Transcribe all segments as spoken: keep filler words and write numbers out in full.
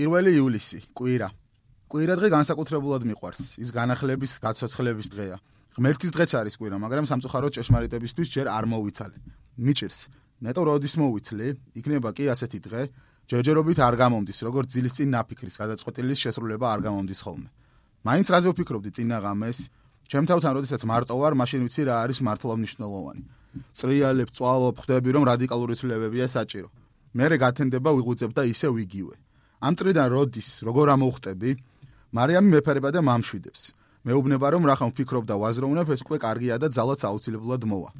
პირველი ივლისი, კვირა. კვირა დღე განსაკუთრებულად მიყვარს. ის განახლების, გაცოცხლების დღეა. ღმერთის დღეც არის კვირა, მაგრამ სამწუხაროდ ჭეშმარიტებისთვის ჯერ არ მოვიცალე. მიჭირს. ნეტო როდის მოვიცლი, იქნება კი ასეთი დღე, ჯერჯერობით არ გამომდის, როგორც ძილის წინ ნაფიქრის გადაწყვეტილის შესრულება არ გამომდის ხოლმე. მაინც რაზე ვფიქრობდი წინა ღამეს? ჩემ თავთან როდესაც მარტო ვარ, მაშინ ვიცი რა არის მართლა მნიშვნელოვანი. წრიალებ, წვალობ, ხვდები რომ რადიკალური ცვლილებებია საჭირო. მერე გათენდება ვიღუძებ და ისე ვიგივე. ამ წრიდან როდის, როგორ ამოვხტები, მარიამი მეფერება და მამშვიდებს. მეუბნება რომ რახან ვფიქრობ და ვაზროვნებ, ეს უკვე კარგია და ძალაც აუცილებლად მოვა.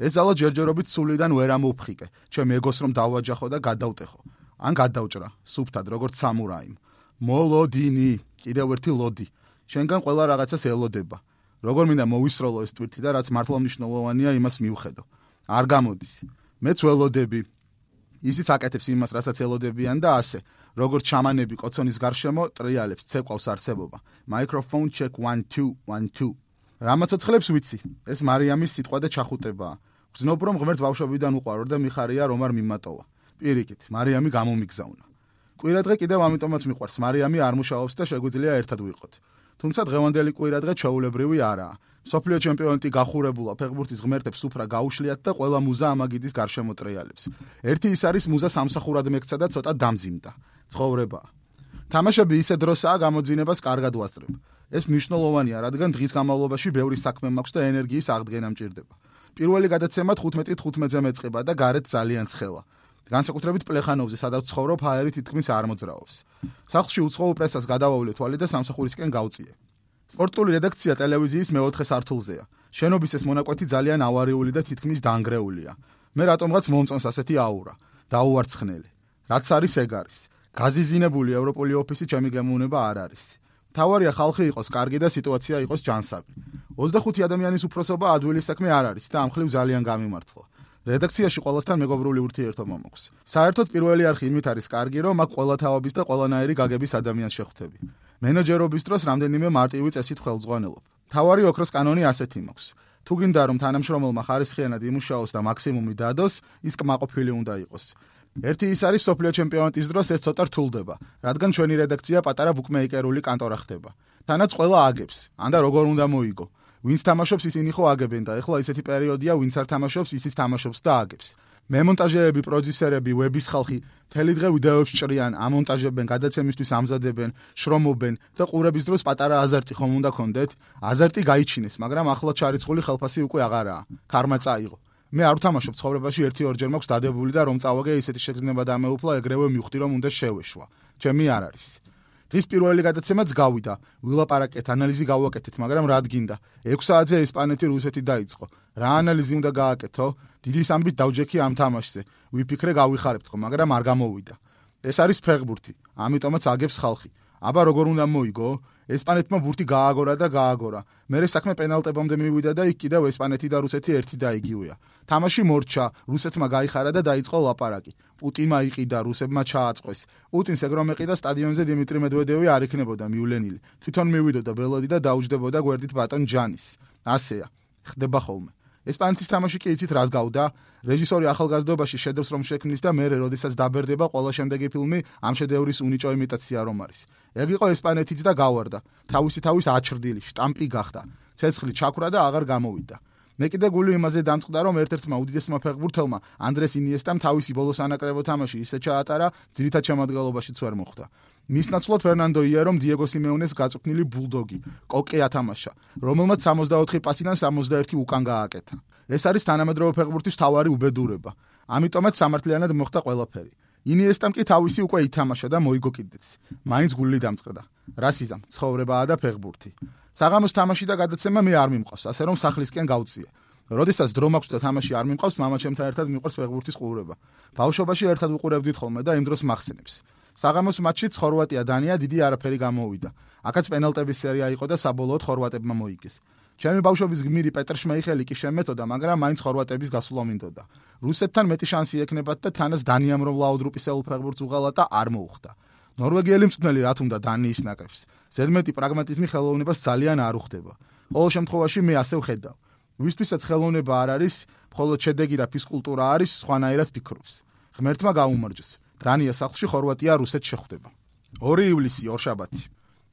ეს ძალა ჯერჯერობით სულიდან ვერ ამოვფხიკე, ჩემ ეგოს რომ დავაჯახო და გადავტეხო. ან გადავჭრა, სუფთად, როგორც სამურაიმ. მოლოდინი, კიდევ ერთი ლოდი. შენგან ყველა რაღაცას ელოდება. როგორ მინდა მოვისროლო ეს ტვირთი და რაც მართლა მნიშვნელოვანია, იმას მივხედო. არ გამოდის. მეც ველოდები. ისიც აკეთებს იმას, რასაც ელოდებიან და ასე. როგორც ჩამანები კოცონის გარშემო ტრიალებს, ცეკვავს არსებობა. Microphone check one two one two. რამაცოცხლებს ვიცი. ეს მარიამის სიტყვა და ჩახუტებაა. გრძნობ რომ ღმერთს ბავშვობიდან უყვარო და მიხარია რომ არ მიმატოვა. პირიქით, მარიამი გამომიგზავნა. კვირა დღე კიდევ ამიტომაც მიყვარს. მარიამი არ მუშაობს და შეგვიძლია ერთად ვიყოთ. თუმცა დღევანდელი კვირა დღე ჩვეულებრივი არაა. სოფლიო ჩემპიონატი გახურებულა ფეხბურთის ღმერთებს უფრა გაუშლიათ და ყველა მუზა ამაგიდის გარშემო ტრიალებს. ერთი ის არის მუზა სამსახურად მეკცა და ცოტა დამძიმდა. ცხოვრებაა. თამაშები ისე დროსაა გამოძინებას კარგად ვასწრებ. ეს მნიშვნელოვანია, რადგან დღის განმავლობაში ბევრი საქმე მაქვს და ენერგიის აღდგენა მჭირდება. პირველი გადაცემა თხუთმეტი თხუთმეტზე მეწყება და გარეთ ძალიან ცხელა. განსაკუთრებით პლეხანოვზე, სადაც ცხოვრობ, ჰაერი თითქმის არ მოძრაობს. სახლში უცხოურ პრესას გადავავლე თვალი და სამსახურისკენ გავწიე. სპორტული რედაქცია ტელევიზიის მეოთხე სართულზეა. შენობის ეს მონაკვეთი ძალიან ავარიული და თითქმის დანგრეულია. მე რატომღაც მომწონს ასეთი აურა. დაუვარცხნელი. რაც არის ეგ არის. გაზიზინებული ევროპული ოფისი ჩემი გემოვნება არ არის. თავარია ხალხი იყოს კარგი და სიტუაცია იყოს ჯანსაღი. ოცდახუთი ადამიანის უფროსობა ადვილი საქმე არ არის და ამ ხრივ ძალიან გამიმართლა. რედაქციაში ყველასთან მეგობრული ურთიერთობა მაქვს. საერთოდ პირველი არხი იმით არის კარგი, რომ აქ ყველა თავების და ყველანაირი გაგების ადამიანს შეხვდები. მენეჯერობის დროს რამდენიმე მარტივი წესით ხელმძღვანელობ. თავარი ოქროს კანონი ასეთი მაქვს. თუ გინდა რომ თანამშრომელმა ხარისხიანად იმუშაოს და მაქსიმუმი დადოს, ის კმაყოფილი უნდა იყოს. ერთი ის არის სოფლიო ჩემპიონატის დროს ეს ცოტა რთულდება, რადგან ჩვენი რედაქცია პატარა ბუკმეიკერული კანტორა ხდება. თანაც ყველა აგებს, ან და როგორ უნდა მოიგო. ვინც თამაშობს ისინი ხო აგებენ და ეხლა ისეთი პერიოდია, ვინც არ თამაშობს, ისიც თამაშობს და აგებს. მემონტაჟეები, პროდიუსერები, ვების ხალხი მთელი დღე ვიდეოებს ჭრიან, ამონტაჟებენ, გადაცემისთვის ამზადებენ, შრომობენ და ყურების დროს პატარა აზარტი ხომ უნდა გქონდეთ? აზარტი გაიჩინეს, მაგრამ ახლა ჩარიცხული ხელფასი უკვე აღარაა. ქარმა წაიღო. მე არ ვთამაშობ ცხოვრებაში ერთი-ორჯერ მაქვს დადებული და რომ წავაგე ისეთი შეგრძნება დამეუფლა, ეგრევე მივხვდი რომ უნდა შევეშვა. ჩემი არ არის. დღის პირველი გადაცემაც გავიდა. ვილაპარაკეთ, ანალიზი გავაკეთეთ, მაგრამ რად გინდა? ექვს საათზე ესპანეთი რუსეთი დაიწყო. რა ანალიზი უნდა გააკეთო? დიდი სამბით დავჯექი ამ თამაშზე. ვიფიქრე გავიხარებთ ხო, მაგრამ არ გამოვიდა. ეს არის ფეხბურთი, ამიტომაც აგებს ხალხი. აბა როგორ უნდა მოიგო? ესპანეთმა ბურთი გააგორა და გააგორა. მერე საქმე პენალტებამდე მივიდა და იქ კიდევ ესპანეთი და რუსეთი ერთი და იგივეა. თამაში მორჩა, რუსეთმა გაიხარა და დაიწყო ლაპარაკი. პუტინმა იყიდა, რუსებმა ჩააწყვეს. პუტინს ეგ რომ ეყიდა სტადიონზე დიმიტრი მედვედევი არ იქნებოდა მივლენილი. თვითონ მივიდოდა ბელოდი და დაუჯდებოდა გვერდით ბატონ ჯანის. ასეა. ხდება ხოლმე. ესპანეთის თამაში კი იცით რას გავდა? რეჟისორი ახალგაზრდობაში შედევრს რომ შექმნის და მერე როდესაც დაბერდება ყველა შემდეგი ფილმი ამ შედევრის უნიჭო იმიტაცია რომ არის. ეგ იყო ესპანეთიც და გავარდა. თავისი თავის აჩრდილი, შტამპი გახდა. ცეცხლი ჩაქვრა და აღარ გამოვიდა. მე კიდე გული იმაზე დამწყდა რომ ერთ-ერთმა უდიდესმა ფეხბურთელმა ანდრეს ინიესტამ თავისი ბოლოს ანაკრებო თამაში ისე ჩაატარა, ძირითად შემადგენლობაშიც ვერ მოხვდა. მის ნაცვლად ფერნანდო იერომ დიეგო სიმეონეს გაწუქნილი ბულდოგი, კოკე ათამაშა, რომელმაც სამოცდაოთხი პასიდან სამოცდაერთი უკან გააკეთა. ეს არის თანამედროვე ფეხბურთის მთავარი უბედურება. ამიტომაც სამართლიანად მოხდა ყველაფერი. ინიესტამ კი თავისი უკვე ითამაშა და მოიგო კიდეც. მაინც გული დამწყდა. რასიზამ, ცხოვრებაა და ფეხბურთი. საღამოს თამაში და გადაცემა მე არ მიმყავს, ასე რომ სახლისკენ გავწიე. როდესაც დრო მაქვს და თამაში არ მიმყავს, მამაჩემთან ერთად მიყვარს ფეხბურთის ყურება. ბავშვობაში ერთად უყურებდით ხოლმე და იმ დროს მახსენებს. საღამოს მატჩით ხორვატია დანია დიდი არაფერი გამოვიდა. აქაც პენალტების სერია იყო და საბოლოოდ ხორვატებმა მოიგეს. ჩემი ბავშვობის გმირი პეტრ შმეიხელი კი შემეწოდა, მაგრამ მაინც ხორვატების გასვლა მინდოდა. რუსეთთან მეტი შანსი ექნებათ და თანაც დანიამ რომ ლაუდრუპისეულ ფეხბურთს უღალა და არ მოუხდა. ნორვეგიელი მწვრთნელი რა თუნდა დანიის ნაკრებს. ზედმეტი პრაგმატიზმი ხელოვნებას ძალიან არ უხდება. ყოველ შემთხვევაში მე ასე ვხედავ. ვისთვისაც ხელოვნება არ არის, მხოლოდ შედეგი და ფიზკულტურა არის, სხვანაირად ფიქრობს. ღმერთმა გაუმარჯოს. დანია სახლში, ხორვატია რუსეთს შეხვდება. ორი ივლისი ორშაბათი.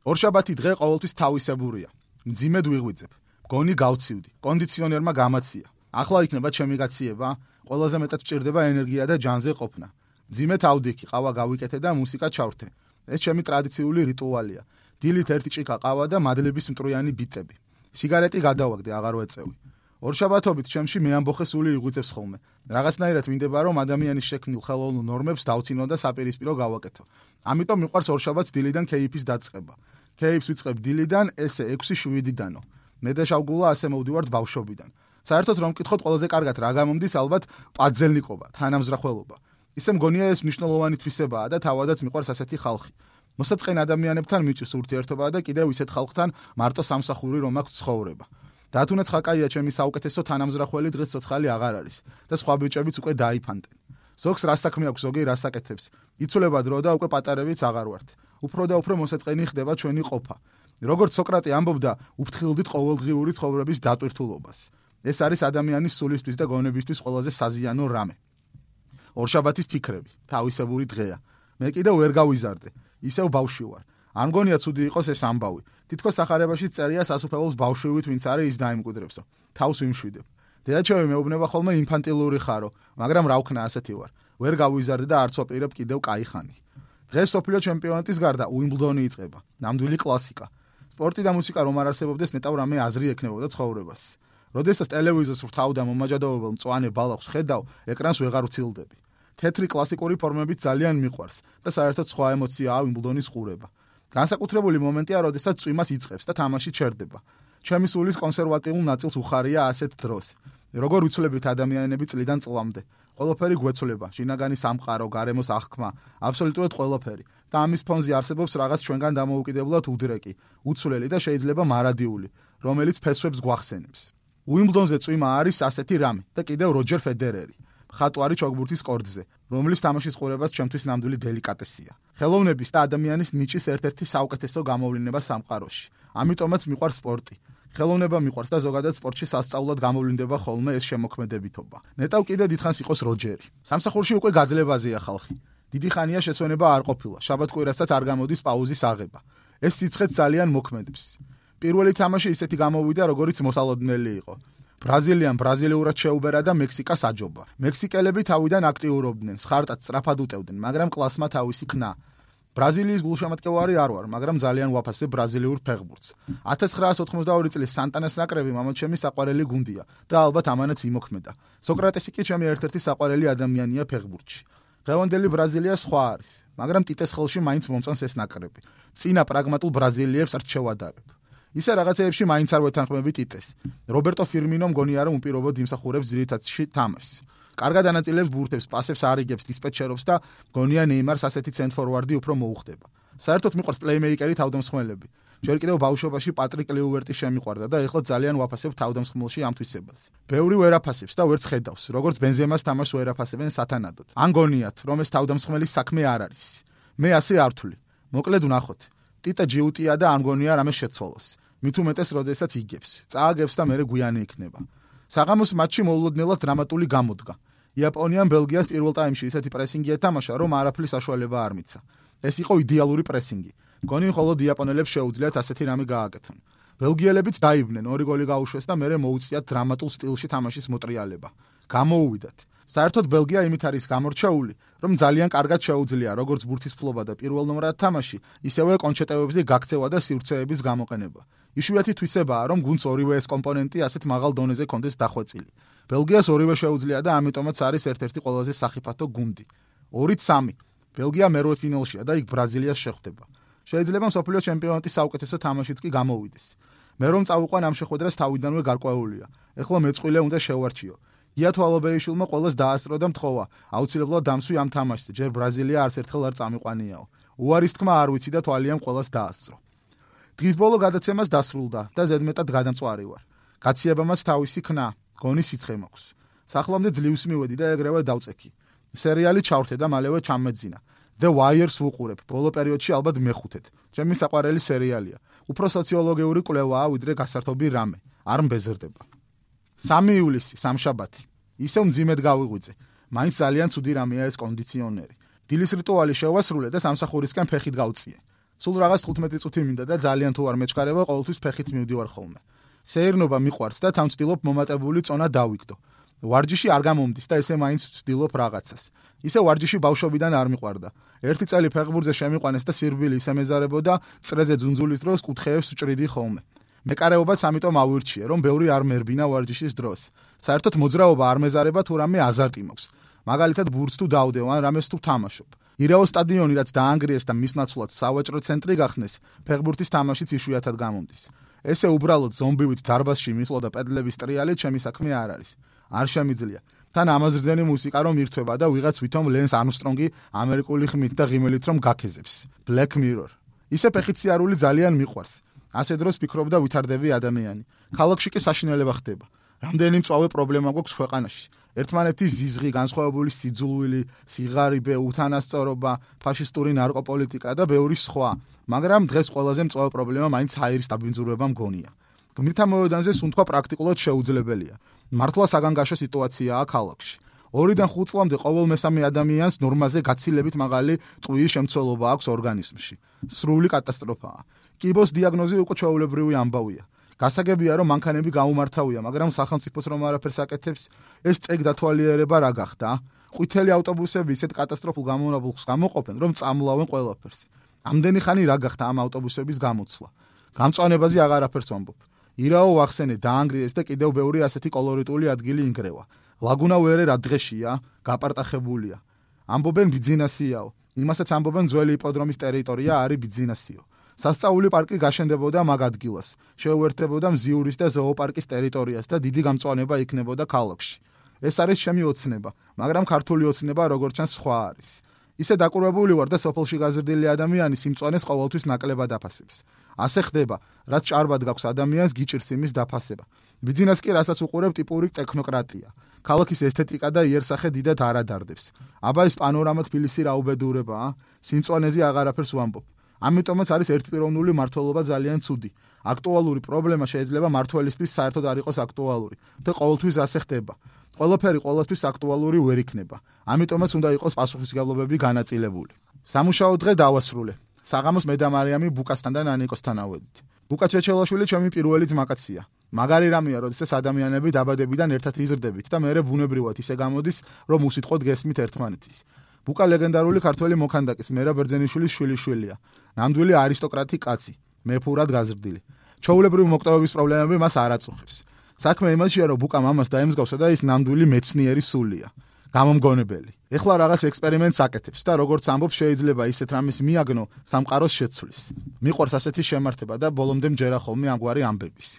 ორშაბათი დღე ყოველთვის თავისებურია. მძიმედ ვიღვიძებ. გონი გავცივდი. კონდიციონერმა გამაცია. ახლა იქნება ჩემი გაციება, ყველაზე მეტად სჭირდება ენერგია და ჯანზე ყოფნა. მძიმედ ავდიქი, ყავა გავიკეთე და მუსიკა ჩავრთე. ეს ჩემი ტრადიციული რიტუალია. დილით ერთი ჭიქა ყავა და მადლების მტრიანი ბიტები. სიგარეტი გადავაგდე, აღარ ვეწევი. ორშაბათობით ჩემში მეამბოხე სული იღვიძებს ხოლმე. რაღაცნაირად მინდება რომ ადამიანის შექმნილ ხელოვნურ ნორმებს დავცინო და საპირისპირო გავაკეთო. ამიტომ მიყვარს ორშაბათს დილიდან კეიფის დაწყება. კეიფს ვიწყებ დილიდან, ესე ექვსი შვიდიდანო. მე და შავგულა ასე მოვდივართ ბავშვობიდან. საერთოდ რომ მკითხოთ, ყველაზე კარგად რა გამომდის, ალბათ პაძელნიკობა, თანამზრახველობა. ისე მგონია ეს მნიშვნელოვანი თვისებაა და თავადაც მიყვარს ასეთი ხალხი. მოსაწყენ ადამიანებთან მიჭირს ურთიერთობა და კიდევ ისეთ ხალხთან მარტო სამსახური რომ აქვს ცხოვრება. დათუნაც ხაკაია ჩემი საუკეთესო თანამზრახველი დღეს ცოცხალი აღარ არის და სხვა ბიჭებიც უკვე დაიფანტენ. ზოგს რა საქმე აქვს, ზოგი რას აკეთებს. იცვლება დრო და უკვე პატარებიც აღარ ვართ. უფრო და უფრო მოსაწყენი ხდება ჩვენი ყოფა. როგორც სოკრატე ამბობდა, უფრთხილდით ყოველდღიური ცხოვრების დატვირთულობას. ეს არის ადამიანის სულისთვის და გონებისთვის ყველაზე საზიანო რამე. ორშაბათის ფიქრები, თავისებური დღეა. მე კიდევ ვერ გავიზარდე, ისევ ბავშვი ვარ. არ მგონია ცუდი იყოს ეს ამბავი. თითქოს სახარებაში წერია სასუფეველს ბავშვივით ვინც არის ის დაიმკვიდრებსო. თავს ვიმშვიდებ. დედაჩემი მეუბნება ხოლმე ინფანტილური ხარო, მაგრამ რა ვქნა ასეთი ვარ. ვერ გავიზარდე და არც ვაპირებ კიდევ კაი ხანი. დღეს სოფლიო ჩემპიონატის გარდა უიმბლდონი იწყება. ნამდვილი კლასიკა. სპორტი და მუსიკა რომ არ არსებობდეს, ნეტავ რამე აზრი ექნებოდა ცხოვრებას. როდესაც ტელევიზორს ვრთავ და მომაჯადოებელ მწვანე ბალახს ხედავ, ეკრანს ვეღარ ვცილდები. თეთრი კლასიკური ფორმებით ძალიან მიყვარს და საერთოდ სხვა ემოციაა უიმბლდონის ყურება. განსაკუთრებული მომენტია, როდესაც წვიმას იწყებს და თამაში ჩერდება. ჩემი სულის კონსერვატიულ ნაწილს უხარია ასეთ დროს. როგორ ვიცვლებით ადამიანები წლიდან წლამდე. ყველაფერი გვეცვლება, შინაგანი სამყარო, გარემოს აღქმა, აბსოლუტურად ყველაფერი. და ამის ფონზე არსებობს რაღაც ჩვენგან დამოუკიდებლად უდრეკი, უცვლელი და შეიძლება მარადიული, რომელიც ფესვებს გვახსენებს. უიმბლდონზე წვიმა არის ასეთი რამე და კიდევ როჯერ ფედერერი. ხატვარი ჩოგბურთის კორდზე, რომლის თამაშის ყურებაც ჩემთვის ნამდვილი დელიკატესია. ხელოვნების და ადამიანის ნიჭის ერთ-ერთი საუკეთესო გამოვლინება სამყაროში. ამიტომაც მიყვარს სპორტი. ხელოვნება მიყვარს და ზოგადად სპორტში სასწაულად გამოვლინდება ხოლმე ეს შემოქმედებითობა. ნეტავ კიდე დიდხანს იყოს როჯერი. სამსახურში უკვე გაძლებაზეა ხალხი. დიდი ხანია შესვენება არ ყოფილა. შაბათ-კვირასაც არ გამოდის პაუზის აღება. ეს სიცხეც ძალიან მოქმედებს. პირველი თამაში ისეთი გამოვიდა, როგორც მოსალოდნელი იყო. ბრაზილიამ ბრაზილიურად შეუბერა და მექსიკას აჯობა. მექსიკელები თავიდან აქტიურობდნენ, სხარტად სწრაფად უტევდნენ, მაგრამ კლასმა თავისი ქნა. ბრაზილიის გულშემატკივარი არ ვარ, მაგრამ ძალიან ვაფასებ ბრაზილიურ ფეხბურთს. ათას ცხრაას ოთხმოცდაორი წლის სანტანას ნაკრები მამაჩემი საყვარელი გუნდია და ალბათ ამანაც იმოქმედა. სოკრატესი კი ჩემი ერთ-ერთი საყვარელი ადამიანია ფეხბურთში. დღევანდელი ბრაზილია სხვა არის, მაგრამ ტიტეს ხელში მაინც მომწონს ეს ნაკრები. წინა პრაგმატულ ბრაზილიებს რჩევადარებ. ისე რაღაცეებში მაინც არ ვეთანხმები ტიტეს. რობერტო ფირმინო მგონია რომ უპირობოდ იმსახურებს ძირითადში თამაშს. კარგად ანაწილებს ბურთებს, პასებს არიგებს, დისპეჩერობს და მგონია ნეიმარს ასეთი ცენტრ-ფორვარდი უფრო მოუხდება. საერთოდ მიყვარს პლეიმეიკერი თავდამსხმელები. ჯერ კიდევ ბავშვობაში პატრიკ ლიუვერტი შემიყვარდა და ეხლა ძალიან ვაფასებ თავდამსხმელში ამ თვისებას. ბევრი ვერ აფასებს და ვერც ხედავს, როგორც ბენზემას თამაშს ვერ აფასებენ სათანადოდ. ან გონიათ, რომ ეს თავდამსხმელის საქმე არ არის. მე ასე არ ვთვლი. მოკლედ ვნახოთ. ტიტა ჯიუტია და ამ გონია რამე შეცვალოს. მით უმეტეს, როდესაც იგებს, წააგებს და მერე გვიანი იქნება. საღამოს მატჩი მოულოდნელად დრამატული გამოდგა. იაპონიამ ბელგიას პირველ ტაიმში ისეთი პრესინგი ეთამაშა, რომ არაფრის საშუალება არ მიცა. ეს იყო იდეალური პრესინგი. გონი მხოლოდ იაპონელებს შეუძლიათ ასეთი რამე გააკეთონ. ბელგიელებიც დაიბნენ, ორი გოლი გაუშვეს და მერე მოუწიათ დრამატულ სტილში თამაშის მოტრიალება. გამოუვიდათ. საერთოდ ბელგია იმით არის გამორჩეული, რომ ძალიან კარგად შეუძლია როგორც ბურთის ფლობა და პირველნომრად თამაში, ისევე კონჩეტევებზე გაქცევა და სივრცეების გამოყენება. იშვიათი თვისებაა, რომ გუნდს ორივე ეს კომპონენტი ასეთ მაღალ დონეზე კონდეს დახვეწილი. ბელგიას ორივე შეუძლია და ამიტომაც არის ერთ-ერთი ყველაზე სახიფათო გუნდი. ორით სამი. ბელგია მერვედფინალშია და იქ ბრაზილიას შეხვდება. შეიძლება მსოფლიო ჩემპიონატის საუკეთესო თამაშიც კი გამოვიდეს. მე რომ წავიყვან ამ შეხვედრას თავიდანვე გარკვეულია. ეხლა მეწყვილე უნდა შევარჩიო. იათვალობეიშვილმა ყოველს დაასწრო და მთხოვა, აუცილებლად დამსვი ამ თამაშზე, ჯერ ბრაზილია არც ერთხელ არ წამიყვანიაო. უარის თქმა არ ვიცი და თვალიამ ყოველს დაასწრო. დღის ბოლო გადაცემას დასრულდა და ზედმეტად გადამწვარი ვარ. გაციებამაც თავისი ქნა, გონი სიცხე მაქვს. სახლამდე ძლივს მივედი და ეგრევე დავწექი. სერიალი ჩავრთე და მალევე ჩამეძინა. The Wires ვუყურებ, ბოლო პერიოდში ალბათ მეხუთედ. ჩემი საყვარელი სერიალია. უფრო სოციოლოგიური კვლევაა ვიდრე გასართობი რამე. არ მბეზრდება. სამი ივლისი, სამშაბათი. ისევ მძიმედ გავიღვიძე. მაინც ძალიან ცუდი რამეა ეს კონდიციონერი. დილის რიტუალი შევასრულე და სამსახურისკენ ფეხით გავწიე. სულ რაღაც თხუთმეტი წუთი მინდა და ძალიან თუ არ მეჩქარება, ყოველთვის ფეხით მივდივარ ხოლმე. სეირნობა მიყვარს და თან ვცდილობ მომატებული წონა დავიგდო. ვარჯიში არ გამომდის და ესე მაინც ვცდილობ რაღაცას. ისე ვარჯიში ბავშვობიდან არ მიყვარდა. ერთი წელი ფეხბურთზე შემიყვანეს და სირბილი ისე მეზარებოდა, წრეზე ძუნძულის დროს კუთხეებს ვჭრიდი ხოლმე. მეკარეობაც ამიტომ ავირჩიე, რომ ბევრი არ მერბინა ვარჯიშის დროს. საერთოდ მოძრაობა არ მეზარება თუ რამე აზარტი მაქვს. მაგალითად ბურთს თუ დავდევ ან რამეს თუ თამაშობ. ირაო სტადიონი რაც დაანგრიეს და მის ნაცვლად სავაჭრო ცენტრი გახსნეს, ფეხბურთის თამაშიც იშვიათად გამომდის. ესე უბრალოდ ზომბივით დარბაზში მისვლა და პედლების ტრიალით ჩემი საქმე არ არის. არ შემიძლია. თან ამაზრზენი მუსიკა რომ ირთვება და ვიღაც ვითომ ლენს არმსტრონგი ამერიკული ხმით და ღიმილით რომ გაქეზებს. Black Mirror. ისე ფეხით სიარული ძალიან მიყვარს. ასე დროს ფიქრობდა ვითარდები ადამიანი. ქალაქში კი საშინელება ხდება. რამდენი მწვავე პრობლემა გვაქვს ქვეყანაში. ერთმანეთის ზიზღი, განსხვავებული სიძულვილი, სიღარიბე, უთანასწორობა, ფაშისტური ნარკოპოლიტიკა და ბევრი სხვა. მაგრამ დღეს ყველაზე მწვავე პრობლემა მაინც ჰაერის დაბინძურება მგონია. გმირთა მოედანზე სუნთქვა პრაქტიკულად შეუძლებელია. მართლა საგანგაშო სიტუაციაა ქალაქში. ორიდან ხუთ წლამდე ყოველ მესამე ადამიანს ნორმაზე გაცილებით მაღალი ტყუის შემცველობა აქვს ორგანიზმში. სრული კატასტროფაა. კიბოს დიაგნოზი უკვე ჩვეულებრივი ამბავია. გასაგებია რომ მანქანები გაუმართავია, მაგრამ სახელმწიფოს რომ არაფერს აკეთებს, ეს წეგ დათვალიერება რა გახდა? ყვითელი ავტობუსები ისეთ კატასტროფულ გამონაბოლქვს გამოყოფენ, რომ წამლავენ ყველაფერს. ამდენი ხანი რა გახდა ამ ავტობუსების გამოცვლა? გამწვანებაზე აღარაფერს ვამბობ. ირაო ვახსენე დაანგრიეს და კიდევ ბევრი ასეთი კოლორიტული ადგილი ინგრევა. ლაგუნა ვერე რა დღეშია, გაპარტახებულია. ამბობენ ბიძინასიაო. იმასაც ამბობენ ძველი იპოდრომის ტერიტორია არის ბიძინასიო. სასწაული პარკი გაშენდებოდა მაგ ადგილას. შეუერთებოდა მზიურის და ზოოპარკის ტერიტორიას და დიდი გამწვანება იქნებოდა ქალაქში. ეს არის ჩემი ოცნება, მაგრამ ქართული ოცნება როგორც ჩანს სხვა არის. ისე დაკურებული ვარ და სოფელში გაზრდილი ადამიანი სიმწვანეს ყოველთვის ნაკლებად აფასებს. ასე ხდება, რაც ჭარბად გაქვს ადამიანს გიჭირს იმის დაფასება. ბიძინას კი რასაც უყურებ ტიპური ტექნოკრატია. ქალაქის ესთეტიკა და იერსახე დიდად არ ადარდებს. აბა ეს პანორამა თბილისი რა უბედურებაა? სიმწვანეზე აღარაფერს ვამბობ. ამიტომაც არის ერთპიროვნული მართლობა ძალიან ცუდი. აქტუალური პრობლემა შეიძლება მართველისთვის საერთოდ არ იყოს აქტუალური და ყოველთვის ასე ხდება. ყველაფერი ყოველთვის აქტუალური ვერ იქნება. ამიტომაც უნდა იყოს პასუხისმგებლობები განაწილებული. სამუშაო დღე დავასრულე. საღამოს მე და მარიამი ბუკასთან და ნანიკოსთან ავედით. ბუკა ჩეჩელაშვილი ჩემი პირველი ძმაკაცია. მაგარი რამეა, როდესაც ადამიანები დაბადებიდან ერთად იზრდებით და მერე ბუნებრივად ისე გამოდის, რომ უსიტყვოდ გესმით ერთმანეთის. ბუკა ლეგენდარული ქართველი მოქანდაკის მერაბ ბერძენიშვილის შვილიშვილია. ნამდვილი არისტოკრატი კაცი, მეფურად გაზრდილი. ჩვეულებრივი მოკვდავების პრობლემები მას არ აწუხებს. საქმე იმაშია, რომ ბუკა მამას დაემსგავსა და ის ნამდვილი მეცნიერი სულია. გამომგონებელი. ეხლა რაღაც ექსპერიმენტს აკეთებს და როგორც ამბობს, შეიძლება ისეთ რამეს მიაგნო სამყაროს შეცვლის. მიყვარს ასეთი შემართება და ბოლომდე მჯერა ხოლმე ამგვარი ამბების.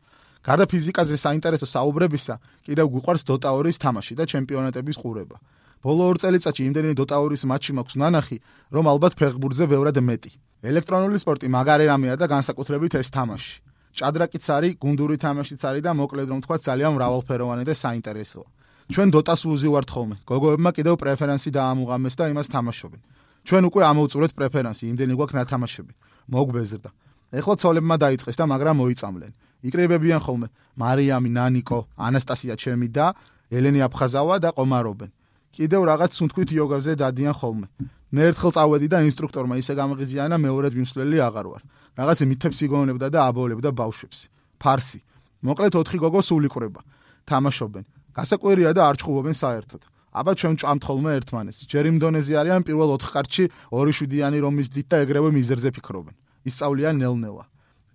გარდა ფიზიკაზე საინტერესო საუბრებისა, კიდევ გვიყვარს დოტა ორის თამაში და ჩემპიონატების ყურება. ბოლო ორ წელიწადში იმდენი დოტა ორის მატჩი მაქვს ნანახი, რომ ალბათ ფეხბურთზე ბევრად მეტი. ელექტრონული სპორტი მაგარი რამეა და განსაკუთრებით ეს თამაში. ჭადრაკიც არის, გუნდური თამაშიც არის და მოკლედ რომ თქვა ძალიან მრავალფეროვანი და საინტერესოა. ჩვენ დოტას უზივართ ხოლმე. გოგოებმა კიდევ პრეფერენსი დაამუღამეს და იმას თამაშობენ. ჩვენ უკვე ამოვწურეთ პრეფერენსი, იმდენი გვაქვს ნათამაშები. მოგვბეზრდა. ეხლა ცოლებმა დაიწყეს და მაგრამ მოიწამლენ. იკრიბებიან ხოლმე მარიამი, ნანიკო, ანასტასია ჩემი და ელენი აფხაზავა და ყომარობენ. კიდევ რაღაც სუნთქვით იოგაზე დადიან ხოლმე. მე ერთხელ წავედი და ინსტრუქტორმა ისე გამღიზიანა, მეორედ მიმსვლელი აღარ ვარ. რაღაც მითებს იგონებდა და აბოლებდა ბავშვებს. ფარსი. მოკლედ ოთხი გოგო სულ იყრება. თამაშობენ. გასაკვირია და არ ჭხუბობენ საერთოდ. აბა ჩვენ ჭამთ ხოლმე ერთმანეთს. ჯერ იმ დონეზე არიან პირველ ოთხ კარტში ორი შვიდიანი რომის დიდ და ეგრევე მიზერზე ფიქრობენ. ისწავლიან ნელ-ნელა.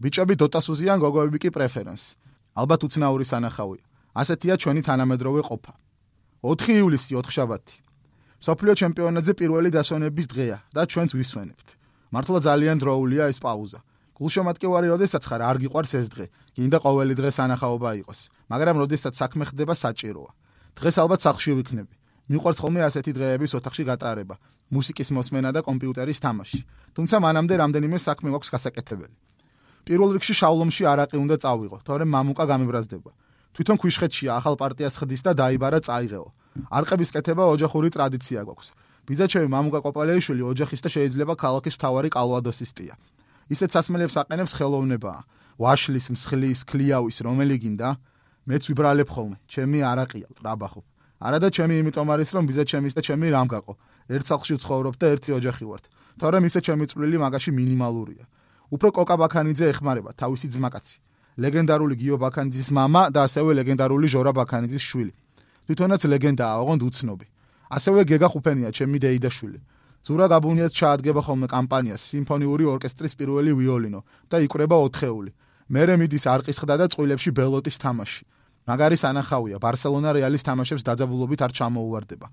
ბიჭები დოტას უზიან, გოგოები კი პრეფერენს. ალბათ უცნაური სანახავია. ასეთია ჩვენი თანამედროვე ყოფა. ოთხი ივლისი ოთხშაბათი. სოფლიო ჩემპიონატზე პირველი დასვენების დღეა და ჩვენც ვისვენებთ. მართლა ძალიან დროულია ეს პაუზა. გულშემატკივარი როდესაც ხარ არ გიყვარს ეს დღე. გინდა ყოველი დღე სანახაობა იყოს, მაგრამ როდესაც საქმე ხდება საჭიროა. დღეს ალბათ სახლში ვიქნები. მიყვარს ხოლმე ასეთი დღეების ოთახში გატარება, მუსიკის მოსმენა და კომპიუტერის თამაში. თუმცა მანამდე რამდენიმე საქმე მაქვს გასაკეთებელი. პირველ რიგში შავლომში არაყი უნდა წავიღო, თორემ მამუკა გამიბრაზდება. თვითონ ქვიშხეთშია ახალ პარტიას ხდის და დაიბარა წაიღეო. არყების კეთება ოჯახური ტრადიცია გვაქვს. ბიძაჩემი მამუკა კოპალეიშვილი ოჯახის და შეიძლება ქალაქის მთავარი კალვადოსისტია. ისეთ სასმელებს აყენებს ხელოვნებაა. ვაშლის, მსხლის, ქლიავის, რომელი გინდა? მეც ვიბრალებ ხოლმე. ჩემი არაყია, ტრაბახობ. არა და ჩემი იმიტომ არის რომ ვიზა ჩემის და ჩემი რამ გაყო. ერთ სახლში ვცხოვრობ და ერთი ოჯახი ვართ. თორემ ისე ჩემი წვლილი მაგაში მინიმალურია. უფრო კოკა ბაქანიძე ეხმარება თავისი ძმაკაცი. ლეგენდარული გიო ბაქანიძის მამა და ასევე ლეგენდარული ჟორა ბაქანიძის შვილი. თვითონაც ლეგენდაა, ოღონდ უცნობი. ასევე გეგა ხუფენია, ჩემი დეიდაშვილი. ზურა გაბუნიას ჩაადგება ხოლმე კამპანიას სიმფონიური ორკესტრის პირველი ვიოლინო და იკვრება ოთხეული. მერე მიდის არყისხდა და წყვილებში ბელოტის თამაში. მაგარი სანახავია, ბარსელონა რეალის თამაშებს დაძაბულობით არ ჩამოუვარდება.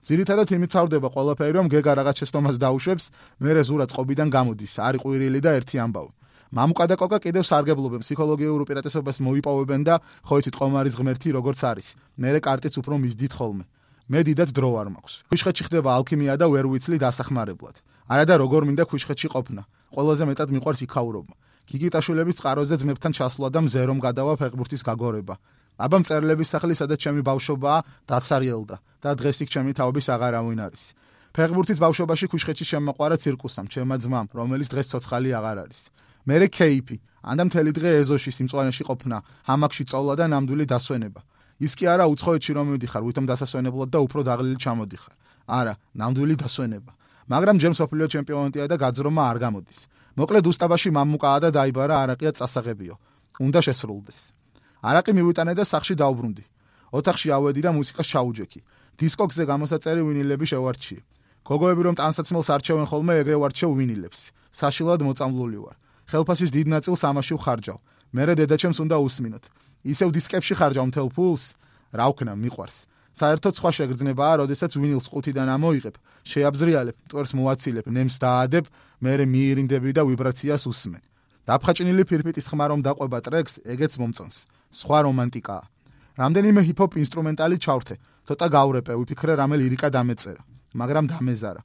ძირითადად იმით თავდება ყველაფერი, რომ გეგა რაღაც შეცდომას დაუშვებს, მერე ზურა წყობიდან გამოდის, არი ყვირილი და ერთი ამბავი. მამუკა და კოკა კიდევ სარგებლობენ, ფსიქოლოგიურ უპირატესობას მოიპოვებენ და ხო იცით ყომარის ღმერთი როგორც არის. მერე კარტიც უფრო მისდით ხოლმე. მე დიდად დრო არ მაქვს. ქუჩხეთში ხდება ალქიმია და ვერ ვიცლი დასახმარებლად. არა და როგორ მინდა ქუჩხეთში ყოფნა. ყველაზე მეტად მიყვარს იქაურობა. გიგიტაშვილების წყაროზე ძმებთან ჩასვლა და მზერომ გადავა ფეხბურთის გაგორება. აბა მწერლების სახლი, სადაც ჩემი ბავშვობაა, დაცარიელდა და დღეს იქ ჩემი თაობის აღარავინ არის. ფეხბურთის ბავშვობაში ქუჩხეთში შემოყვარა ცირკუსამ, ჩემმა ძმამ, რომელიც დღეს ცოცხალი აღარ არის. მერე კეიფი, ანდა მთელი დღე ეზოში სიმწვანეში ყოფნა, ჰამაკში წოვლა და ნამდვილი დასვენება. ის კი არა უცხოეთში რომ მიდიხარ, ვითომ დასასვენებლად და უფრო დაღლილი ჩამოდიხარ. არა, ნამდვილი დასვენება. მაგრამ ჯერ მსოფლიო ჩემპიონატია და გაძრომა არ გამოდის. მოკლედ უსტაბაში მამუკაა და დაიბარა არაყია წასაღებიო. უნდა შესრულდეს. არაყი მივიტანე და სახში დაუბრუნდი. ოთახში ავედი და მუსიკას ჩაუჯექი. დისკოქსზე გამოსაწერი ვინილები შევარჩიე. გოგოები რომ ტანსაცმელს არჩევენ ხოლმე, ეგრე ვარჩევ ვინილებს. საშილად მოწამლული ვარ. ხელფასის დიდ ნაწილს ამაში ვხარჯავ. მერე დედაჩემს უნდა უსმინოთ. ისევ დისკებში ხარჯავ მთელ ფულს, რა ვქნა, მიყვარს. საერთოდ სხვა შეგრძნებაა, როდესაც ვინილს ყუთიდან ამოიღებ, შეაბზრიალებ, მტვერს მოვაცილებ, ნემს დაადებ, მერე მიირინდები და ვიბრაციას უსმენ. დაფხაჭინილი ფირფიტის ხმა რომ დაყვება ტრეკს, ეგეც მომწონს. სხვა რომანტიკაა. რამდენიმე ჰიპ-ჰოპ ინსტრუმენტალი ჩავრთე, ცოტა გავრეპე, ვიფიქრე რამე ლირიკა დამეწერა, მაგრამ დამეზარა.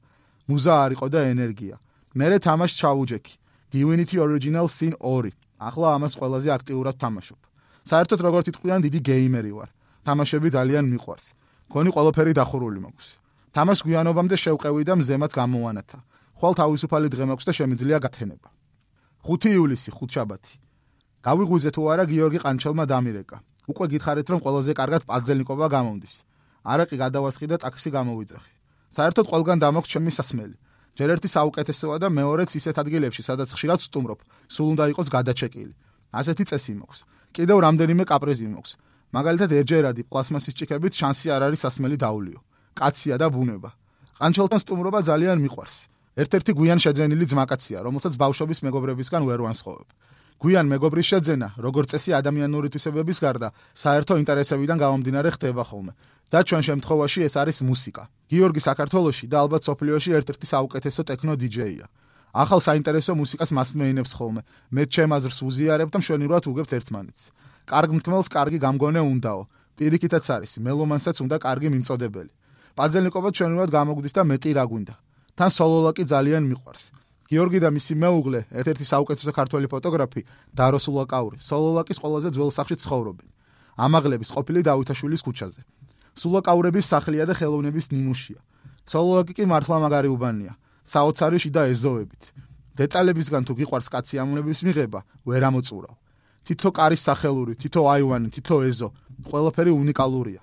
მუზა არ იყო და ენერგია. მერე თამაშს ჩავუჯექი. Divinity Original Sin ორი. ახლა ამას ყველაზე აქტიურად თამაშობ. საერთოდ როგორც იტყვიან, დიდი გეიმერი ვარ. თამაშები ძალიან მიყვარს. გონი ყველაფერი დახურული მაქვს. თამაშს გვიანობამდე შევყევი და მზემაც გამოვანათა. ხვალ თავისუფალი დღე მაქვს და შემიძლია გათენება. ხუთი ივლისი, ხუთშაბათი. გავიღვიძე თუ არა გიორგი ყანჩელმა დამირეკა. უკვე გითხარით რომ ყველაზე კარგად პაძელნიკობა გამომდის. არაყი გადავასხი და ტაქსი გამოვიძახი. საერთოდ ყველგან დამოქვს ჩემი სასმელი. ჯერ ერთი საუკეთესოა და მეორეც ისეთ ადგილებში, სადაც ხშირად ვსტუმრობ, სულ უნდა იყოს გადაჩეკილი. ასეთი წესი მაქვს. კიდევ რამდენიმე კაპრიზი მაქვს. მაგალითად ერჯერადი პლასმასის ჭიქებით შანსი არ არის სასმელი დაულიო. კაცია და ბუნება. ყანჩელთან სტუმრობა ძალიან მიყვარს. ერთ-ერთი გვიან შეძენილი ძმაკაცია, რომელსაც ბავშვობის მეგობრებისგან ვერ ვანსხოვებ. გვიან მეგობრის შეძენა, როგორც წესი ადამიანური თვისებების გარდა, საერთო ინტერესებიდან გამომდინარე ხდება ხოლმე. და ჩვენ შემთხვევაში ეს არის მუსიკა. გიორგი საქართველოში და ალბათ სოფლიოში ერთ-ერთი საუკეთესო ტექნო დიჯეია. ახალ საინტერესო მუსიკას მასმეინებს ხოლმე. მე ჩემ აზრს უზიარებ და მშვენივრად უგებთ ერთმანეთს. კარგ მკმელს კარგი გამგონე უნდაო. პირიქითაც არის, მელომანსაც უნდა კარგი მიმწოდებელი. პაძელნიკობა ჩვენურად გამოგვდის და მეტი რა გვინდა. თან სოლოლაკი ძალიან მიყვარს. გიორგი და მისი მეუღლე, ერთ-ერთი საუკეთესო ქართველი ფოტოგრაფი, დარო სულაკაური, სოლოლაკის ყველაზე ძველ სახლში ცხოვრობენ. ამაღლების ყოფილი დავითაშვილის ქუჩაზე. სულაკაურების სახლია და ხელოვნების ნიმუშია. სოლოლაკი კი მართლა მაგარი უბანია. საოცარი შიდა ეზოებით. დეტალებისგან თუ გიყვარს კაცი ამონების მიღება, ვერ ამოწურავ. თითო კარის სახელური, თითო აივანი, თითო ეზო, ყველაფერი უნიკალურია.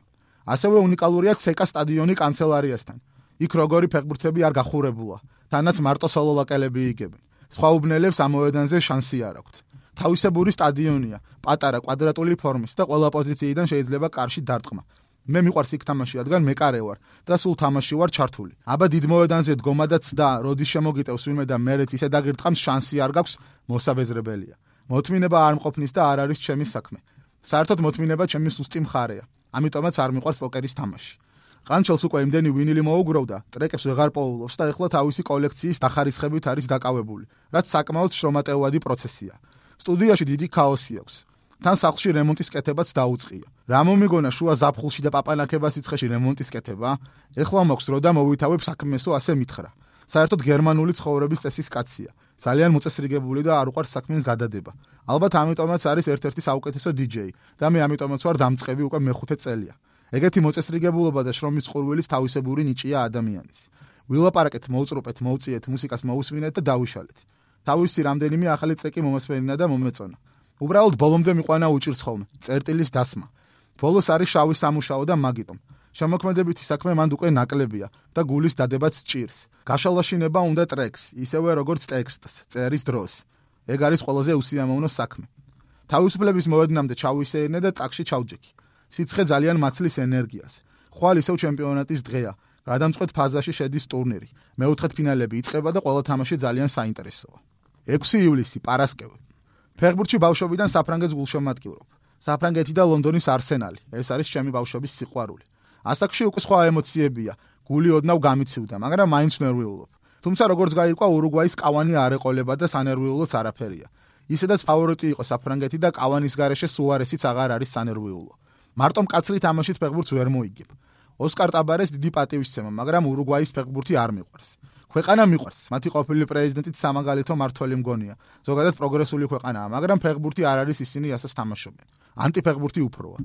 ასევე უნიკალურია ცეკა სტადიონი კანცელარიასთან. იქ როგორი ფეხბურთები არ გახურებულა, თანაც მარტო სოლოლაკელები იგებენ. სხვა უბნელებს ამოვედანზე შანსი არ აქვთ. თავისებური სტადიონია, პატარა კვადრატული ფორმის და ყველა პოზიციიდან შეიძლება კარში დარტყმა. მე მიყვარს იქ თამაში, რადგან მეკარე ვარ და სულ თამაში ვარ ჩართული. აბა დიდ მოედანზე დგომადაც და როდის შემოგიტევს ვინმე და მერეც ისე დაგირტყამს, შანსი არ გაქვს, მოსაბეზრებელია. მოთმინება არ მყოფნის და არ არის ჩემი საქმე. საერთოდ მოთმინება ჩემი სუსტი მხარეა. ამიტომაც არ მიყვარს პოკერის თამაში. ყანჩელს უკვე იმდენი ვინილი მოუგროვდა, ტრეკებს ვეღარ პოულობს და ეხლა თავისი კოლექციის დახარისხებით არის დაკავებული, რაც საკმაოდ შრომატევადი პროცესია. სტუდიაში დიდი ქაოსი აქვს. თან სახლში რემონტის კეთებაც დაუწყია. რა მომიგონა შუა ზაფხულში და პაპანაკებას სიცხეში რემონტის კეთება? ეხლა მაქვს დრო და მოვითავებ საქმესო, ასე მითხრა. საერთოდ გერმანული ცხოვრების წესის კაცია. ძალიან მოწესრიგებული და არ უყვარს საქმეს გადადება. ალბათ ამიტომაც არის ერთ-ერთი საუკეთესო დიჯეი და მე ამიტომაც ვარ დამწყები უკვე მეხუთე წელია. ეგეთი მოწესრიგებულობა და შრომის ყურვილის თავისებური ნიჭია ადამიანის. ვილაპარაკეთ, მოუწრუპეთ, მოუწიეთ, მუსიკას მოусმინეთ და დავიშალეთ. თავისი რამდენიმე ახალი ტრეკი მომასმენინა და მომეწონა. უბრალოდ ბოლომდე მიყვანა უჭირს ხოლმე, წერტილის დასმა. ბოლოს არის შავი სამუშაო და მაგიტომ. შემოქმედებითი საქმე მანდ უკვე ნაკლებია და გულის დადებაც ჭირს. გაშალაშინება უნდა ტრეკს, ისევე როგორც ტექსტს, წერის დროს. ეგ არის ყველაზე უსიამოვნო საქმე. თავისუფლების მოედნამდე ჩავისეირნე და ტაკში ჩავჯექი. სიცხე ძალიან მაცლის ენერგიას. ხვალ ისევ ჩემპიონატის დღეა. გადამწყვეტ ფაზაში შედის ტურნირი. მეოთხედფინალები იწყება და ყველა თამაში ძალიან საინტერესოა. ექვსი ივლისი, პარასკევი. ფეხბურთში ბავშვობიდან საფრანგეთს გულშემატკივრობ. საფრანგეთი და ლონდონის არსენალი. ეს არის ჩემი ბავშვობის სიყვარული. ასაკში უკვე სხვა ემოციებია. გული ოდნავ გამიცივდა, მაგრამ მაინც ნერვიულობ. თუმცა როგორც გაირკვა, ურუგვაის კავანი არ ეყოლება და სანერვიულოც არაფერია. ისედაც ფავორიტი იყო საფრანგეთი და კავანის გარეშე სუარესიც აღარ არის სანერვიულო. მარტო მკაცრი თამაშით ფეხბურთს ვერ მოიგებ. ოსკარ ტაბარეს დიდი პატივისცემა, მაგრამ ურუგვაის ფეხბურთი არ მიყვარს. ქვეყანა მიყვარს, მათი ყოფილი პრეზიდენტით სამაგალითო მართველი მგონია. ზოგადად პროგრესული ქვეყანაა, მაგრამ ფეხბურთი არ არის ისინი რასაც თამაშობენ. ანტიფეხბურთი უფროა.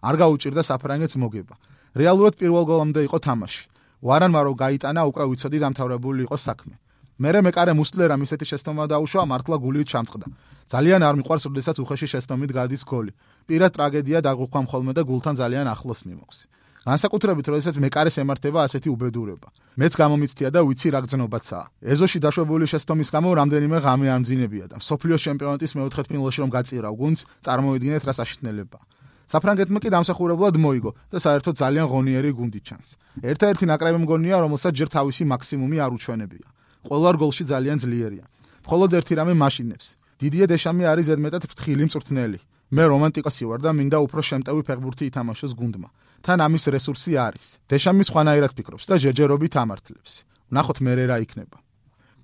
არ გაუჭირდა საფრანგეთს მოგება. რეალურად პირველ გოლამდე იყო თამაში. ვარანმა რო გაიტანა, უკვე ვიცოდი დამთავრებული იყო საქმე. მერე მეკარე მუსლერამ ისეთი შეცდომა დაუშვა, მართლა გულით ჩამწყდა. ძალიან არ მიყვარს, როდესაც უხეში შეცდომით გადის გოლი. პირად ტრაგედია დაგუხვა ხოლმე და გულთან ძალიან ახლოს მიმოხს. განსაკუთრებით, როდესაც მეკარეს ემართება ასეთი უბედურება. მეც გამომიცდია და ვიცი რა გზნობაცაა. ეზოში დაშვებული შეცდომის გამო რამდენიმე ღამე არ მძინებია და მსოფლიოს ჩემპიონატის მეოთხედფინალში რომ გაწირავ გუნდს, წარმოვიდგინეთ რა საშინელება. საფრანგეთმა კი დამსახურებლად მოიგო და საერთოდ ძალიან ღონიერი გუნდი ჩანს. ერთ-ერთი ნაკრები მგონია, რომელსაც ჯერ თავისი მაქსიმუმი არ უჩვენებია. ყველა რგოლში ძალიან ძლიერია. მხოლოდ ერთი რამე მაშინებს. დიდიე დეშამი არის ზედმეტად ფრთხილი მწვრთნელი. მე რომანტიკოსი ვარ და მინდა უფრო შემტევი ფეხბურთი ითამაშოს გუნდმა. თან ამის რესურსი არის. დეშამი სხვანაირად ფიქრობს და ჯერჯერობით ამართლებს. ვნახოთ მერე რა იქნება.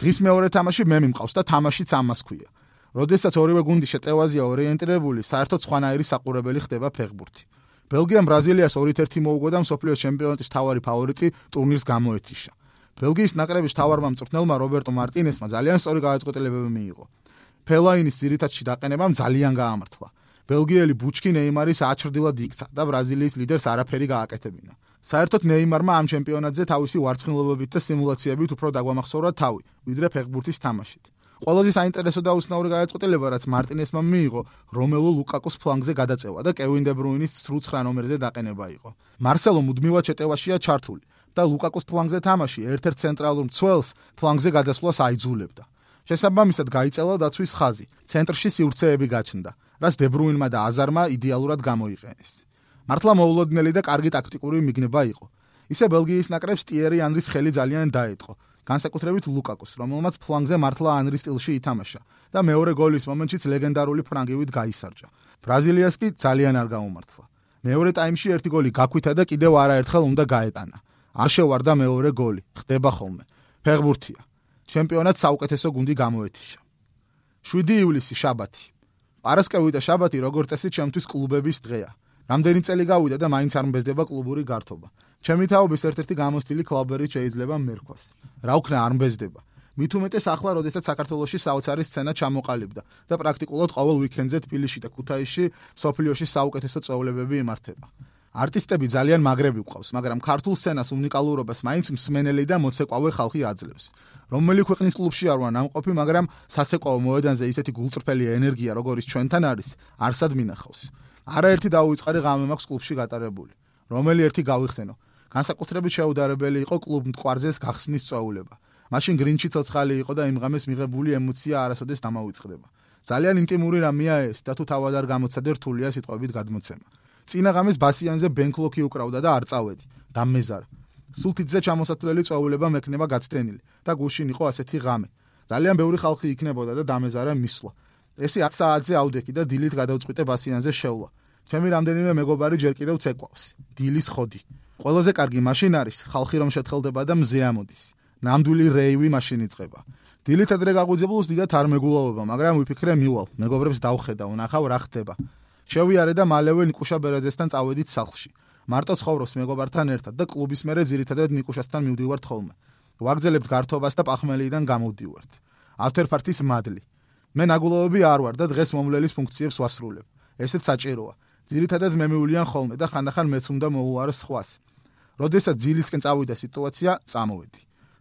დღის მეორე თამაში მე მიმყავს და თამაშიც ამას ქვია. როდესაც ორივე გუნდი შეტევაზეა ორიენტირებული, საერთოდ სხვანაირი საყურებელი ხდება ფეხბურთი. ბელგიამ ბრაზილიას ორით ერთი მოუგო და მსოფლიოს ჩემპიონატის მთავარი ფავორიტი ტურნირს გამოეთიშა. ბელგიის ნაკრების მთავარმა მწვრთნელმა რობერტო მარტინესმა ძალიან სწორი გადაწყვეტილებები მიიღო. ფელაინის ძირითადში დაყენებამ ძალიან გაამართლა. ბელგიელი ბუჩკი ნეიმარის აჩრდილად იქცა და ბრაზილიის ლიდერს არაფერი გააკეთებინა. საერთოდ ნეიმარმა ამ ჩემპიონატზე თავისი ვარცხნილობებით და სიმულაციებით უფრო დაგვამახსოვრა თავი, ვიდრე ფეხბურთის თამაშით. ყველაზე საინტერესო და უცნაური გადაწყვეტილება, რაც მარტინესმა მიიღო, რომელო ლუკაკოს ფლანგზე გადაწევა და კევინ დე ბრუინის ცხრა ნომერზე დაყენება იყო. მარსელო მუდმივად შეტევაშია ჩართული და ლუკაკოს ფლანგზე თამაში ერთ-ერთ ცენტრალურ მცველს ფლანგზე გადასვლას აიძულებდა. შესაბამისად გაიწელა დაცვის ხაზი, ცენტრში სივრცეები გაჩნდა, რაც დე ბრუინმა და აზარმა იდეალურად გამოიყენეს. მართლა მოულოდნელი და კარგი ტაქტიკური მიგნება იყო. ისე ბელგიის ნაკრებს ტიერი ანრის ხელი ძალიან დაეწყო. განსაკუთრებით ლუკაკოს, რომელმაც ფლანგზე მართლა ანრის სტილში ითამაშა და მეორე გოლის მომენტშიც ლეგენდარული ფრანგივით გაისარჯა. ბრაზილიას კი ძალიან არ გაუმართლა. მეორე ტაიმში ერთი გოლი გაქვითა და კიდევ არაერთხელ უნდა გაეტანა. არ შევარდა მეორე გოლი, ხდება ხოლმე. ფეხბურთია. ჩემპიონატს საუკეთესო გუნდი გამოეთიშა. შვიდი ივლისი, შაბათი. პარასკევი და შაბათი როგორც წესი ჩემთვის კლუბების დღეა. რამდენი წელი გავიდა და მაინც არ მბეზდება კლუბური გართობა. ჩემი თაობის ერთ-ერთი გამოსტილი კლუბერი შეიძლება მერქვას. რა უქნა არ მბეზდება. მით უმეტეს ახლა, როდესაც საქართველოში საოცარი სცენა ჩამოყალიბდა და პრაქტიკულად ყოველ უიკენდზე თბილისში და ქუთაისში სოფლიოში საუკეთესო წვეულებები იმართება. არტისტები ძალიან მაგრები გვყავს, მაგრამ ქართულ სცენას უნიკალურობას მაინც მსმენელი და მოცეკვავე ხალხი აძლევს. რომელი ქვეყნის კლუბში არ ვარ ნამყოფი, მაგრამ სასეკვაო მოედანზე ისეთი გულწრფელი ენერგია, როგორიც ჩვენთან არის, არსად მინახავს. არაერთი დაუვიწყარი ღამე მაქვს კლუბში გატარებული. რომელი ერთი გავიხსენო. განსაკუთრებით შეუდარებელი იყო კლუბ მტკვარზეს გახსნის წვეულება. მაშინ გრინჩი ცოცხალი იყო და იმ ღამეს მიღებული ემოცია არასოდეს დამავიწყდება. ძალიან ინტიმური რამეა ეს და თუ თავად არ გამოცადე რთულია სიტყვებით გადმოცემა. წინა ღამეს ბასიანზე ბენკლოკი უკრავდა და არ წავედი. დამეზარა. სულთიძე ჩამოსათვლელი წვეულება მექნება გაცდენილი და გუშინ იყო ასეთი ღამე. ძალიან ბევრი ხალხი იქნებოდა და დამეზარა მისვლა. ესე ათ საათზე ავდექი და დილით გადავწყვიტე ბასიანზე შევლა. ჩემი რამდენიმე მეგობარი ჯერ კიდევ ცეკვავს. დილის ხოდი. ყველაზე კარგი მაშინ არის ხალხი რომ შეთხელდება და მზე ამოდის. ნამდვილი რეივი მაშინ იწყება. დილით ადრე გაღვიძებულს დიდათ არ მეგულოვება, მაგრამ ვიფიქრე მივალ, მეგობრებს დავხედა, ვნახავ რა ხდება. შევიარე და მალევე ნიკუშა ბერაძესთან წავედით სახლში. მარტო ცხოვრობს მეგობართან ერთად და კლუბის მერე ძირითადად ნიკუშასთან მივდივართ ხოლმე. ვაგრძელებთ გართობას და პახმელიდან გამოვდივართ. ავთერფართის მადლი. მე ნაგულოვები არ ვარ და დღეს მომლელის ფუნქციებს ვასრულებ. ესეც საჭიროა. ძირითადად მე მივლიან ხოლმე და ხანდახან მეც უნდა მოუარო სხვას. როდესაც ძილისკენ წავიდა სიტუაცია, წამოვედი.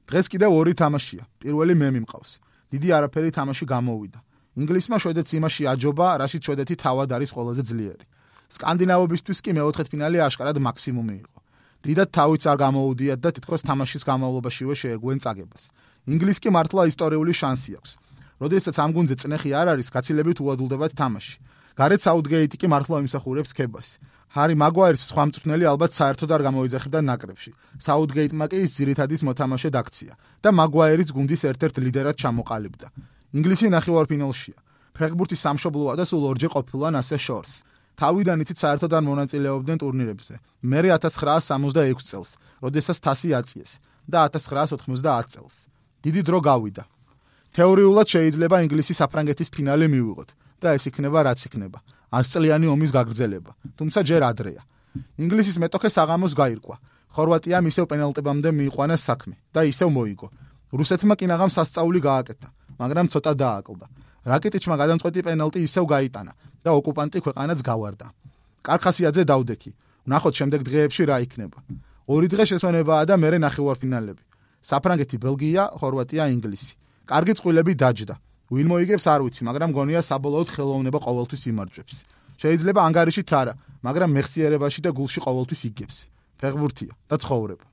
დღეს კიდევ ორი თამაშია. პირველი მე მიმყავს. დიდი არაფერი თამაში გამოვიდა. ინგლისმა შვედეთს იმაში აჯობა, რაშიც შვედეთი თავად არის ყველაზე ძლიერი. სკანდინავებისთვის კი მეოთხედფინალი აშკარად მაქსიმუმი იყო. დიდად თავიც არ გამოუდიათ და თითქოს თამაშის განმავლობაშივე შეეგვენ წაგებას. ინგლისს კი მართლა ისტორიული შანსი აქვს. როდესაც ამ გუნდზე წნეხი არ არის, გაცილებით უადვილდებათ თამაში. გარეთ საუთგეიტი კი მართლა იმსახურებს ქებას. ჰარი მაგვაირის სხვა მწვრთნელი ალბათ საერთოდ არ გამოიძახებდა ნაკრებში. საუთგეიტმა კი ის ძირითადის მოთამაშედ აქცია და მაგვაირის გუნდის ერთ-ერთ ლიდერად ჩამოყალიბდა. ინგლისი ნახევარფინალშია. ფეხბურთის სამშობლოა და სულ ორჯერ ყოფილან ასე შორს. თავიდან იცით საერთოდ არ მონაწილეობდნენ ტურნირებზე. მერე ათას ცხრაას სამოცდაექვსი წელს, როდესაც თასი აწიეს და ათას ცხრაას ოთხმოცდაათი წელს. დიდი დრო გავიდა. თეორიულად შეიძლება ინგლისი საფრანგეთის ფინალი მივიღოთ და ეს იქნება რაც იქნება. ასწლიანი ომის გაგრძელება, თუმცა ჯერ ადრეა. ინგლისის მეტოქე საღამოს გაირკვა. ხორვატიამ ისევ პენალტებამდე მიიყვანა საქმე და ისევ მოიგო. რუსეთმა კინაღამ სასწაული გააკეთა, მაგრამ ცოტა დააკლდა. რაკიტიჩმა გადამწყვეტი პენალტი ისევ გაიტანა და ოკუპანტი ქვეყანაც გავარდა. კარხასიაძე დავდექი. ვნახოთ შემდეგ დღეებში რა იქნება. ორი დღე შესვენებაა და მერე ნახევარფინალები. საფრანგეთი, ბელგია, ხორვატია, ინგლისი. კარგი წყვილები დაჯდა. ვინ მოიგებს არ ვიცი, მაგრამ გონია საბოლოოდ ხელოვნება ყოველთვის იმარჯვებს. შეიძლება ანგარიშით არა, მაგრამ მეხსიერებაში და გულში ყოველთვის იგებს. ფეხბურთია და ცხოვრება.